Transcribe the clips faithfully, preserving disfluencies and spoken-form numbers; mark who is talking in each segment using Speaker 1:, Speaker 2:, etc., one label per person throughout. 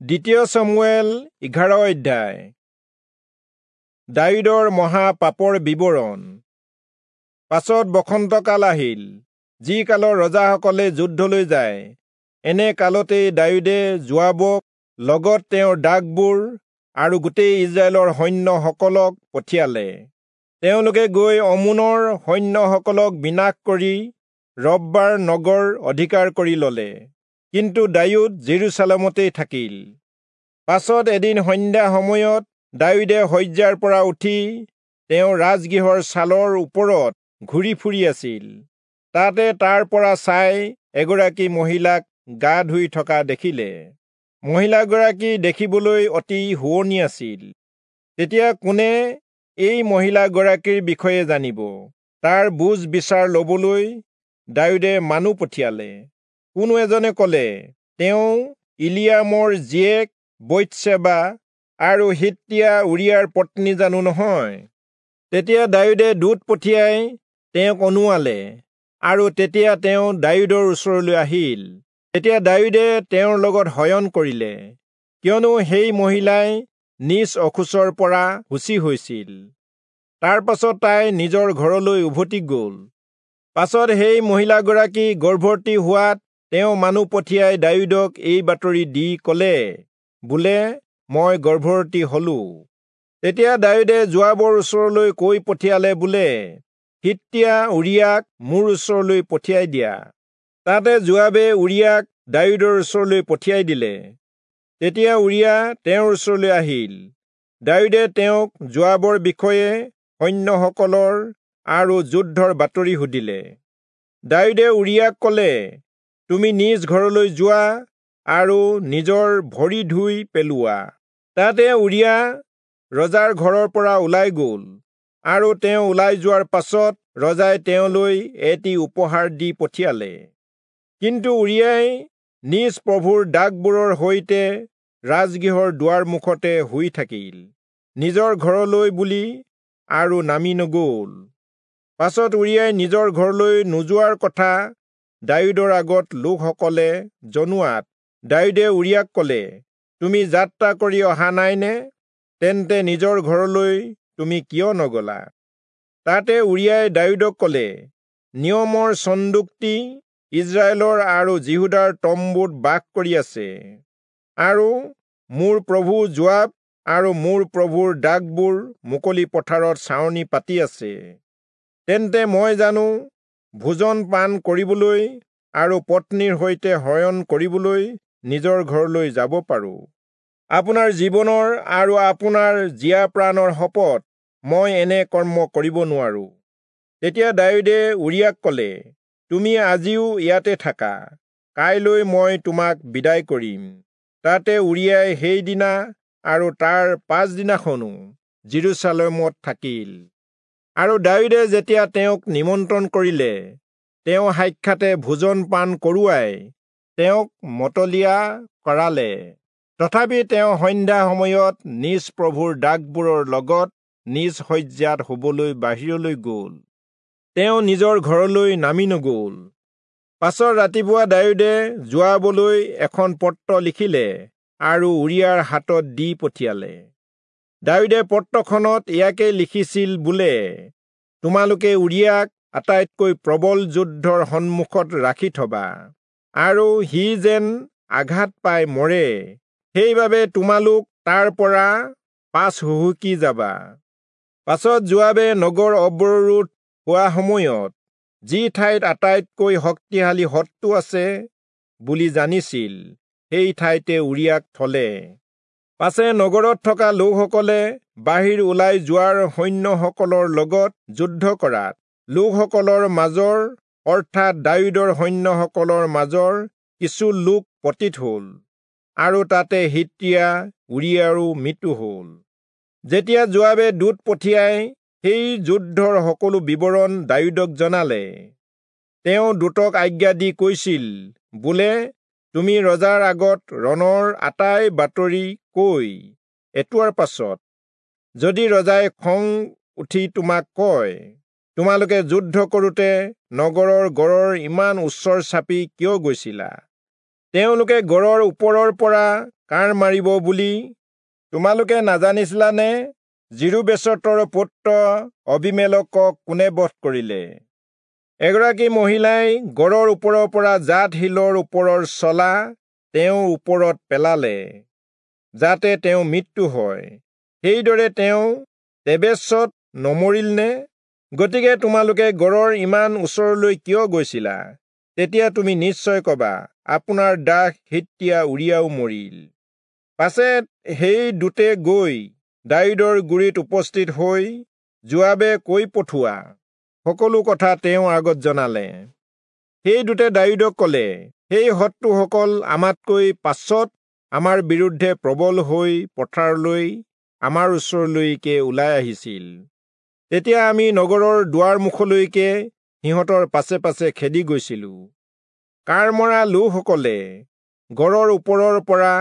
Speaker 1: দ্বিতীয় চমূৱেল এঘাৰ অধ্যায়। দায়ূদৰ মহা পাপৰ বিৱৰণ। পাছত বসন্তকাল আহিল, যি কালৰ ৰজাসকলে যুদ্ধলৈ যায়। এনে কালতেই দায়ূদে যোৱাবক লগত তেওঁৰ দাসবোৰ আৰু গোটেই ইস্ৰায়েলৰ সৈন্যসকলক পঠিয়ালে। তেওঁলোকে গৈ অম্মোনৰ সৈন্যসকলক বিনাশ কৰি ৰব্বাৰ নগৰ অধিকাৰ কৰি ললে। কিন্তু দায়ূদ জেৰুচালেমতেই থাকিল। পাছত এদিন সন্ধ্যা সময়ত দায়ূদে শয্যাৰ পৰা উঠি তেওঁ ৰাজগৃহৰ ছালৰ ওপৰত ঘূৰি ফুৰি আছিল। তাতে তাৰ পৰা চাই এগৰাকী মহিলাক গা ধুই থকা দেখিলে। মহিলাগৰাকী দেখিবলৈ অতি শুৱনি আছিল। তেতিয়া কোনে এই মহিলাগৰাকীৰ বিষয়ে জানিব, তাৰ বুজ বিচাৰ লবলৈ দায়ূদে মানুহ পঠিয়ালে। কোনো এজনে কলে, তেওঁ ইলিয়ামৰ জীয়েক বৈৎসেবা আৰু হিত্তীয়া উৰিয়াৰ পত্নী জানো নহয়? তেতিয়া দায়ূদে দূত পঠিয়াই তেওঁক অনুৱালে, আৰু তেতিয়া তেওঁ দায়ূদৰ ওচৰলৈ আহিল। তেতিয়া দায়ূদে তেওঁৰ লগত শয়ন কৰিলে, কিয়নো সেই মহিলাই নিজ অশৌচৰ পৰা শুচি হৈছিল। তাৰ পাছত তাই নিজৰ ঘৰলৈ উভতি গল। পাছত সেই মহিলাগৰাকী গৰ্ভৱতী হোৱাত তেওঁ মানুহ পঠিয়াই দায়ূদক এই বাতৰি দি কলে, বোলে, মই গৰ্ভৱতী হলো। তেতিয়া দায়ূদে যোৱাবৰ ওচৰলৈ কৈ পঠিয়ালে, বোলে, হিত্তীয়া উৰিয়াক মোৰ ওচৰলৈ পঠিয়াই দিয়া। তাতে যোৱাবে উৰিয়াক দায়ূদৰ ওচৰলৈ পঠিয়াই দিলে। তেতিয়া উৰিয়া তেওঁৰ ওচৰলৈ আহিল। দায়ূদে তেওঁক যোৱাবৰ বিষয়ে সৈন্যসকলৰ আৰু যুদ্ধৰ বাতৰি সুধিলে। দায়ূদে উৰিয়াক কলে, তুমি নিজ ঘৰলৈ যোৱা আৰু নিজৰ ভৰি ধুই পেলোৱা। তাতে উৰিয়া ৰজাৰ ঘৰৰ পৰা ওলাই গল, আৰু তেওঁ ওলাই যোৱাৰ পাছত ৰজাই তেওঁলৈ এটি উপহাৰ দি পঠিয়ালে। কিন্তু উৰিয়াই নিজ প্ৰভুৰ দাসবোৰৰ সৈতে ৰাজগৃহৰ দুৱাৰ মুখতে শুই থাকিল, নিজৰ ঘৰলৈ বুলি আৰু নামি নগল। পাছত উৰিয়াই নিজৰ ঘৰলৈ নোযোৱাৰ কথা দায়ূদৰ আগত লোকসকলে জনোৱাত দায়ূদে উৰিয়াক কলে, তুমি যাত্ৰা কৰি অহা নাইনে? তেন্তে নিজৰ ঘৰলৈ তুমি কিয় নগলা? তাতে উৰিয়াই দায়ূদক কলে, নিয়মৰ চন্দুকটি ইস্ৰায়েলৰ আৰু যিহূদাৰ তম্বুত বাস কৰি আছে, আৰু মোৰ প্ৰভু যোৱাব আৰু মোৰ প্ৰভুৰ দাসবোৰ মুকলি পথাৰত ছাউনি পাতি আছে। তেন্তে মই জানো ভোজন পান কৰিবলৈ আৰু পত্নীৰ সৈতে শয়ন কৰিবলৈ নিজৰ ঘৰলৈ যাব পাৰোঁ? আপোনাৰ জীৱনৰ আৰু আপোনাৰ জীয়া প্ৰাণৰ শপত, মই এনে কৰ্ম কৰিব নোৱাৰোঁ। তেতিয়া দায়ূদে উৰিয়াক কলে, তুমি আজিও ইয়াতে থাকা, কাইলৈ মই তোমাক বিদায় কৰিম। তাতে উৰিয়াই সেইদিনা আৰু তাৰ পাছদিনাখনো জেৰুচালেমত থাকিল। আৰু দায়ূদে যেতিয়া তেওঁক নিমন্ত্ৰণ কৰিলে, তেওঁ সাক্ষাতে ভোজন পান কৰোৱাই তেওঁক মতলীয়া কৰালে। তথাপি তেওঁ সন্ধ্যা সময়ত নিজ প্ৰভুৰ দাসবোৰৰ লগত নিজ শয্যাত শুবলৈ বাহিৰলৈ গল, তেওঁ নিজৰ ঘৰলৈ নামি নগল। পাছত ৰাতিপুৱা দায়ূদে যোৱাবলৈ এখন পত্ৰ লিখিলে আৰু উৰিয়াৰ হাতত দি পঠিয়ালে। দায়ূদে পত্ৰখনত ইয়াকে লিখিছিল, বোলে, তোমালোকে উৰিয়াক আটাইতকৈ প্ৰবল যুদ্ধৰ সন্মুখত ৰাখি থবা, আৰু সি যেন আঘাত পাই মৰে, সেইবাবে তোমালোক তাৰ পৰা পাছ হুহুকি যাবা। পাছত যোৱাবে নগৰ অৱৰোধ হোৱা সময়ত যি ঠাইত আটাইতকৈ শক্তিশালী শত্ৰু আছে বুলি জানিছিল, সেই ঠাইতে উৰিয়াক থলে। পাছে নগৰত থকা লোকসকলে বাহিৰ ওলাই যোৱাৰ সৈন্যসকলৰ লগত যুদ্ধ কৰাত লোকসকলৰ মাজৰ, অৰ্থাৎ দায়ূদৰ সৈন্যসকলৰ মাজৰ কিছু লোক পতিত হল, আৰু তাতে হিত্তীয়া উৰিয়াৰো মৃত্যু হল। যেতিয়া যোৱাবে দূত পঠিয়াই সেই যুদ্ধৰ সকলো বিৱৰণ দায়ূদক জনালে, তেওঁ দূতক আজ্ঞা দি কৈছিল, বোলে, তুমি ৰজাৰ আগত ৰণৰ আটাই বাতৰি কৈ এটোৱাৰ পাছত যদি ৰজাই খং উঠি তোমাক কয়, তোমালোকে যুদ্ধ কৰোঁতে নগৰৰ গড়ৰ ইমান ওচৰ চাপি কিয় গৈছিলা? তেওঁলোকে গড়ৰ ওপৰৰ পৰা কাঁড় মাৰিব বুলি তোমালোকে নাজানিছিলানে? যিৰূবেচতৰ পুত্ৰ অবীমেলকক কোনে বধ কৰিলে? এগৰাকী মহিলাই গড়ৰ ওপৰৰ পৰা জাত শিলৰ ওপৰৰ চলা তেওঁৰ ওপৰত পেলালে, যাতে তেওঁ মৃত্যু হয়। সেইদৰে তেওঁ তেবেচত নমৰিল নে? গতিকে তোমালোকে গড়ৰ ইমান ওচৰলৈ কিয় গৈছিলা? তেতিয়া তুমি নিশ্চয় কবা, আপোনাৰ দাস হিত্তীয়া উৰিয়াও মৰিল। পাছে সেই দূতে গৈ দায়ূদৰ গুৰিত উপস্থিত হৈ যোৱাবে কৈ পঠোৱা সকলো কথা তেওঁৰ আগত জনালে। সেই দূতে দায়ূদক কলে, সেই শত্ৰুসকল আমাতকৈ পাছত আমাৰ বিৰুদ্ধে প্ৰবল হৈ পথাৰলৈ আমাৰ ওচৰলৈকে ওলাই আহিছিল। তেতিয়া আমি নগৰৰ দুৱাৰ মুখলৈকে সিহঁতৰ পাছে পাছে খেদি গৈছিলো। কাঁড় মৰা লোকসকলে গড়ৰ ওপৰৰ পৰা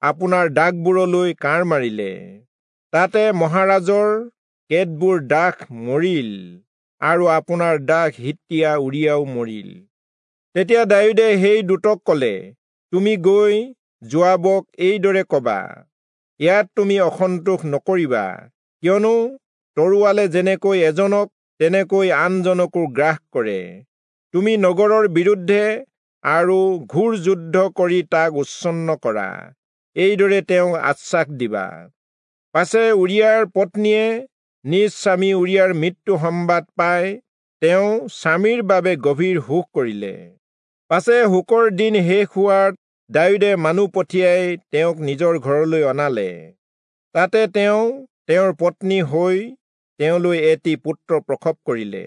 Speaker 1: আপোনাৰ দাসবোৰলৈ কাঁড় মাৰিলে। তাতে মহাৰাজৰ কেতবোৰ দাস মৰিল আৰু আপোনাৰ দাস হিত্তীয়া উৰিয়াও মৰিল। তেতিয়া দায়ূদে সেই দূতক কলে, তুমি গৈ যোৱাবক এইদৰে কবা, ইয়াত তুমি অসন্তোষ নকৰিবা, কিয়নো তৰোৱালে যেনেকৈ এজনক তেনেকৈ আনজনকো গ্ৰাস কৰে। তুমি নগৰৰ বিৰুদ্ধে আৰু ঘোৰ যুদ্ধ কৰি তাক উচ্ছন্ন কৰা। এইদৰে তেওঁক আশ্বাস দিবা। পাছে উৰিয়াৰ পত্নীয়ে নিজ স্বামী উৰিয়াৰ মৃত্যু সংবাদ পাই তেওঁ স্বামীৰ বাবে গভীৰ শোক কৰিলে। পাছে শোকৰ দিন শেষ হোৱাত দায়ূদে মানুহ পঠিয়াই তেওঁক নিজৰ ঘৰলৈ অনালে। তাতে তেওঁ তেওঁৰ পত্নী হৈ তেওঁলৈ এটি পুত্ৰ প্ৰসৱ কৰিলে।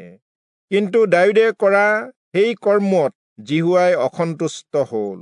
Speaker 1: কিন্তু দায়ূদে কৰা সেই কৰ্মত যিহোৱাই অসন্তুষ্ট হল।